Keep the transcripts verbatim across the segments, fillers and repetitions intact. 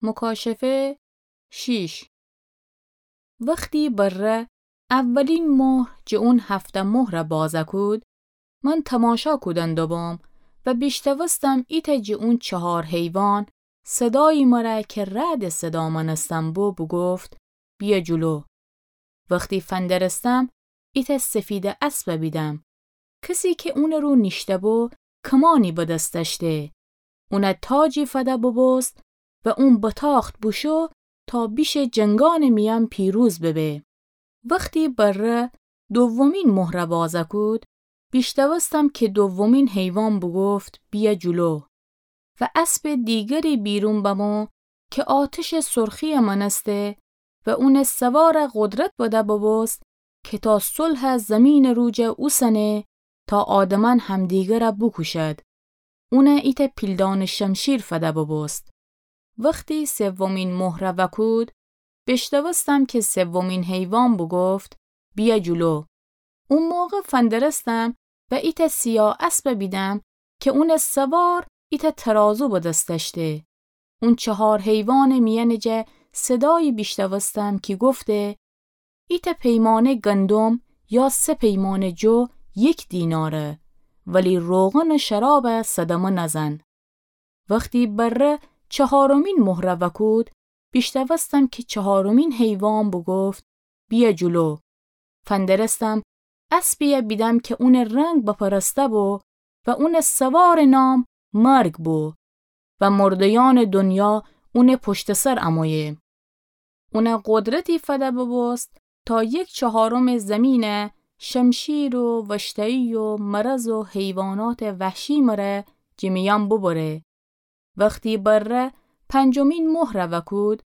مکاشفه شیش. وختی بره اولین مهر جٚه اون هفته مهره بازه کود، من تماشا کودن دوبوم و بیشتوستم ایتأ جٚه اون چهار حیوان صدایی مره که رعدٚ صدا مأنستن بو بوگفت: بیأ جلو. وختی فندرستم، ایتأ سفیدٚ اسبه بیدم. کسی که اونٚ رو نیشته‌بو، کمانی به دس دأشته. اونه تاجی فده بوبوست و اون بتاخت بوشو تا بیشه جنگانٚ میأن پیروز ببه. وختی بره دومین مهره بازه کود، بیشتوستم که دومین حیوان بوگفت: بیأ جلو. و اسبٚ دیگری بیرون بمو که آتشٚ سرخی‌یه مأنسته و اونٚ سواره قدرت بده بوبوست که تا صلحه زیمینٚ رو جا اوسنه تا آدمأن همدیگره بوکوشد. اونه ایتأ پیلدانٚ شمشیر فده بوبوست. وختی سومین مهره وأکود، بیشتوستم که سومین حیوان بوگفت: بیأ جلو. او موقع فندرستم و ایتأ سیاه اسبه بیدم که اونٚ سوار ایتأ ترازو به دس دأشته. اون چهار حیوانٚ میأنٚ جا صدایی بیشتوستم کی گفته: ایتأ پیمانه گندم یا سه پیمانه جو یک دیناره، ولی روغن و شرابه صدمه نزن. وختی بره چهارمین مهره وأکود، بیشتوستم که چهارمین حیوان بوگفت: بیأ جلو. فندرستم اسبیه بیدم که اونٚ رنگ بپرسته بو و اونٚ سوارٚ نام مرگ بو و مرده‌یأنٚ دنیا اونٚ پشتٚ سر امویه. اونه قدرتی فده بوبوست تا یک چهارمٚ زیمینه شمشیر و وشته‌یی و مرض و حیواناتٚ وحشی مره جٚه میأن ببره. وختی بره پنجمین مهره وأکود،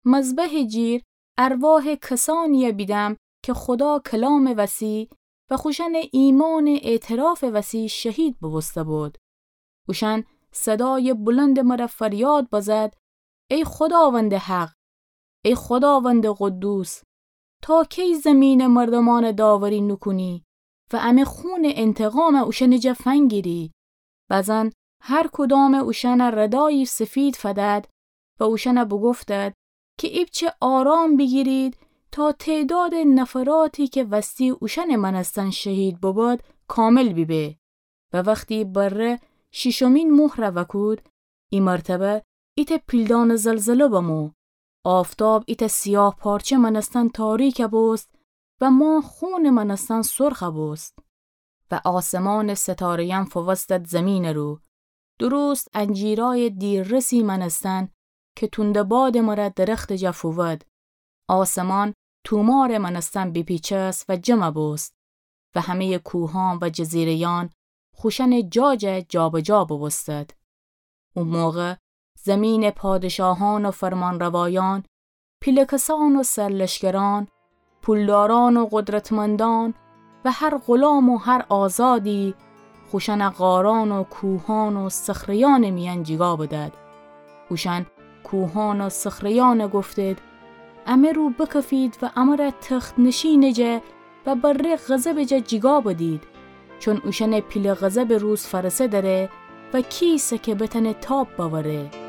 مذبحٚ جیر ارواحٚ کسانیه بیدم که خودا کلامٚ وسی و خوشأنٚ ایمانٚ اعترافٚ وسی شهید بوبوسته بود. اوشأن صدایٚ بلندٚ مره فریاد بزد: ای خوداوندٚ حق، ای خوداوندٚ قدوس، تا کی زیمینٚ مردومأنه داوری نوکونی و امه خونٚ انتقامه اوشأنٚ جا فنگیری؟ بزن هر کدامٚ اوشأنه ردایی سفید فدد و اوشأنه بوگفتد که ایپچه آرام بیگیرید تا تعدادٚ نفراتی که وستی اوشأنٚ مأنستن شهید ببد کامل بیبه. و وختی بره شیشمین مهره وأکود، ای مرتبه ایتأ پیلدانٚ زلزله بمو. آفتاب ایتأ سیاه پارچه مأنستن تاریکه بوست و ماه خونٚ مأنستن سرخه بوست. و آسمانٚ ستاره‌یأن فووستد زیمینٚ رو، درست انجیرایٚ دیررسی مأنستن که تونده بادٚ مره درختٚ جا فوود. آسمان تومارٚ مأنستن بیپیچست و جمه بوست و همه‌یٚ کوهان و جزیره‌یأن خوشأنٚ جا جا جابجا بوبوستد. او موقع زیمینٚ پادشاهان و فرمانروایأن، پیله کسأن و سرلشکرأن، پولدارأن و قدرتمندأن و هر غلام و هر آزادی، خوشأنه غارأن و کوهأن و صخره‌یأنٚ میأن جیگا بدد. اوشأن کوهأن و صخره‌یأنه گفتد: امه رو بکفید و امره تخت‌نشینٚ جا و بره غضبٚ جا جیگا بدید، چون اوشأنٚ پیله غضبٚ روز فأرسه دره و کیسه که بتأنه تاب بأوره.